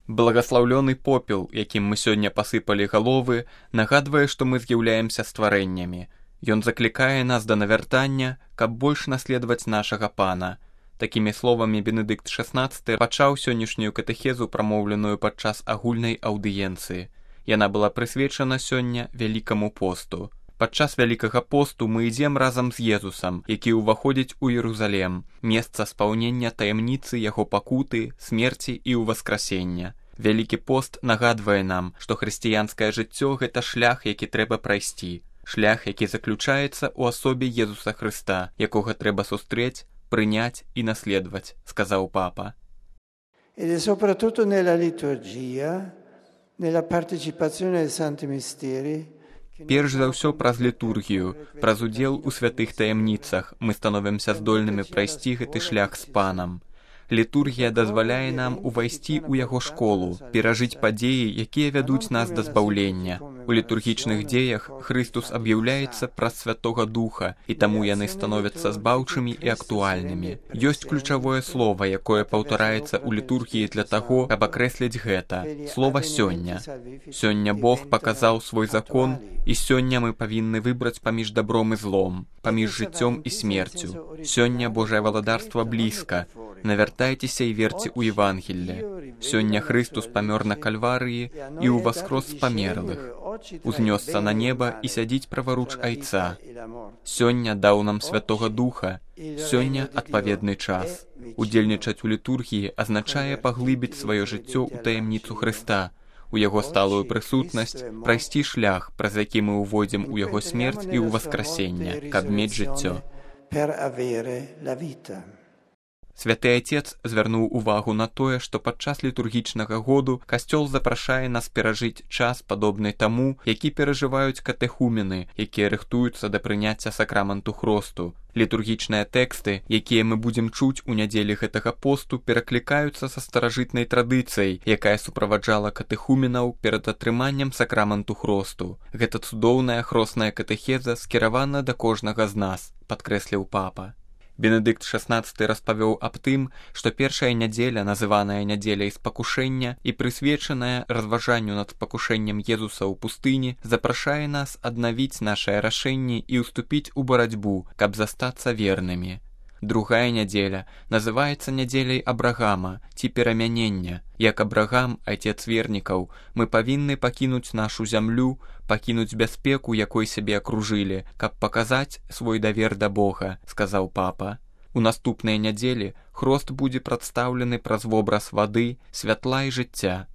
Благаслаўлёны попел, якім мы сёння пасыпалі галовы, нагадвае, што мы з'яўляемся стварэннямі. Ён заклікае нас да навяртання, каб больш наследаваць нашага Пана. Такімі словамі Бенедыкт XVI пачаў сённяшнюю катэхезу, прамоўленую падчас агульнай аўдыенцыі. Яна была прысвечана сёння Вялікаму посту. Падчас Вялікага посту мы ідзем разам з Езусам, які ўваходзіць у Єрусалем, месца спаўнення таямніцы яго пакуты, смерці і ўваскрасення. Вялікі пост нагадвае нам, што хрысціянскае жыццё – гэта шлях, які трэба прайсці. Шлях, які заключаецца ў асобе Езуса Хрыста, якога трэба сустрэць, прыняць і наследаваць, сказаў папа. Ed è soprattutto nella liturgia, nella partecipazione ai santi misteri. Перш за ўсё праз літургію, праз удзел у святых таямніцах мы становімся здольнымі прайсці гэты шлях з Панам. Літургія дазваляе нам увайсці ў яго школу, перажыць падзеі, якія вядуць нас да збаўлення. У літургічных дзеях Хрыстус аб'яўляецца праз Святога Духа, і таму яны становяцца збаўчымі і актуальнымі. Ёсць ключавое слова, якое паўтараецца ў літургіі для таго, каб акрэсліць гэта. Слова «сёння». Сёння Бог паказаў свой закон, і сёння мы павінны выбраць паміж дабром і злом, паміж жыццём і смерцю. Сёння Божае валадарства блізка. Навяртайцеся і верце ў Евангелле. Сёння Хрыстус памёр на Кальварыі і ўваскрос з памерлых. Узнёсся на неба і сядзіць праваруч Айца. Сёння даў нам Святога Духа. Сёння адпаведны час. Удзельнічаць у літургіі азначае паглыбіць сваё жыццё ў таямніцу Хрыста, у яго сталую прысутнасць, прайсці шлях, праз які мы ўвойдзем у яго смерць і ў васкрасенне, каб мець жыццё. Святы Отец звярнуў увагу на тое, што падчас літургічнага году касцёл запрашае нас перажыць час, падобны таму, які перажываюць катэхумены, якія рыхтуюцца да прыняцця сакраменту хросту. Літургічныя тэксты, якія мы будзем чуць у нядзелі гэтага посту, пераклікаюцца са старажытнай традыцыяй, якая суправаджала катэхуменаў перад атрыманнем сакраменту хросту. Гэта цудоўная хросная катэхеза скіравана да кожнага з нас, падкрэсліў папа. Бенедыкт XVI распавёў аб тым, што першая нядзеля, называная нядзеляй спакушэння і прысвечаная разважанню над спакушэннем Езуса ў пустыні, запрашае нас аднавіць нашыя рашэнні і ўступіць у барацьбу, каб застацца вернымі. Другая нядзеля называецца нядзеляй Абрагама ці перамянення. Як Абрагам, айцец вернікаў, мы павінны пакінуць нашу зямлю, пакінуць бяспеку, якой сябе акружылі, каб паказаць свой давер да Бога, сказаў папа. У наступныя нядзелі хрост будзе прадстаўлены праз вобраз вады, святла і жыцця.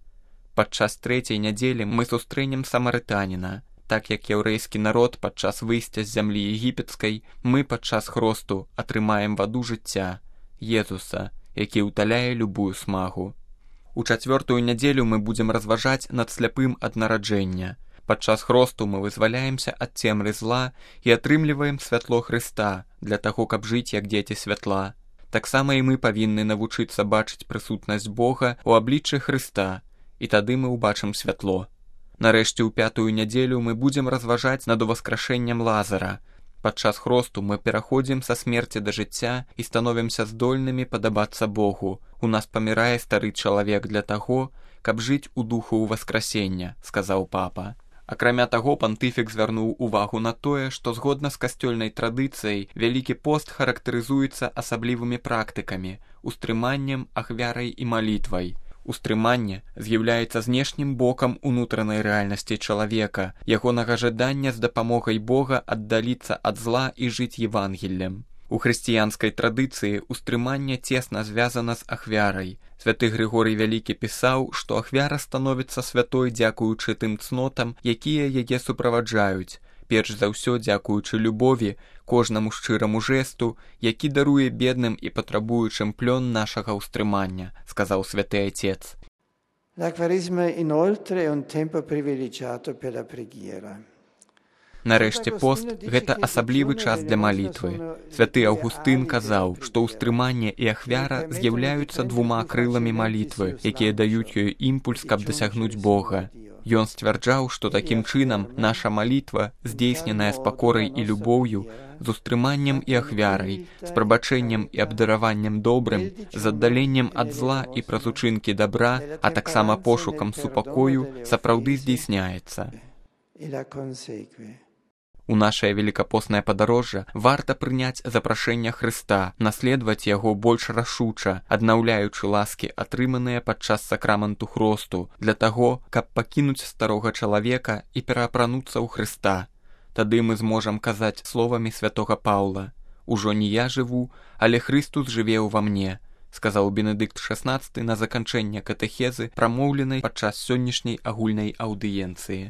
Падчас трэцяй нядзелі мы сустрэнем самарытаніна. Так як яўрэйскі народ падчас выйсця з зямлі егіпецкай, мы падчас хросту атрымаем ваду жыцця, Езуса, які ўталяе любую смагу. У чацвёртую нядзелю мы будзем разважаць над сляпым ад нараджэння. Падчас хросту мы вызваляемся ад цемры зла і атрымліваем святло Хрыста для таго, каб жыць як дзеці святла. Таксама і мы павінны навучыцца бачыць прысутнасць Бога ў абліччы Хрыста, і тады мы ўбачым святло. Нарэшце, ў пятую нядзелю мы будзем разважаць над уваскрашэннем Лазара. Падчас хросту мы пераходзім са смерці да жыцця і становімся здольнымі падабацца Богу. У нас памірае стары чалавек для таго, каб жыць у духу ўваскрасення, сказаў папа. Акрамя таго, пантыфік звярнуў увагу на тое, што згодна з касцёльнай традыцыяй Вялікі пост характарызуецца асаблівымі практыкамі, устрыманнем, ахвярай і малітвай. Устрыманне з'яўляецца знешнім бокам унутранай рэальнасці чалавека, ягонага жадання з дапамогай Бога аддаліцца ад зла і жыць Евангеллем. У хрысціянскай традыцыі устрыманне цесна звязана з ахвярай. Святы Грыгорый Вялікі пісаў, што ахвяра становіцца святой дзякуючы тым цнотам, якія яе суправаджаюць. Перш за ўсё дзякуючы любові, кожнаму шчыраму жэсту, які даруе бедным і патрабуючым плён нашага ўстрымання, сказаў святы Отец. L'acquarismo inoltre è un tempo privilegiato per la preghiera. Нарэшце пост – гэта асаблівы час для малітвы. Святы Аўгустын казаў, што ўстрыманне і ахвяра з'яўляюцца двума крыламі малітвы, якія даюць ёй імпульс, каб дасягнуць Бога. Ён сцвярджаў, што такім чынам наша малітва, здзейсненая з пакорай і любоўю, з устрыманнем і ахвярай, з прабачэннем і абдараваннем добрым, з аддаленнем ад зла і праз учынкі добра, а таксама пошукам супакою, сапраўды здзейсняецца. У нашае велікапоснае падарожжа варта прыняць запрашэнне Хрыста, наследаваць яго больш рашуча, аднаўляючы ласкі, атрыманыя падчас сакраменту хросту, для таго, каб пакінуць старога чалавека і пераапрануцца ў Хрыста. Тады мы зможам казаць словамі святога Паўла: «Ужо не я жыву, але Хрыстус жыве ўва мне», сказаў Бенедыкт XVI на заканчэнне катэхезы, прамоўленай падчас сённяшняй агульнай аўдыенцыі.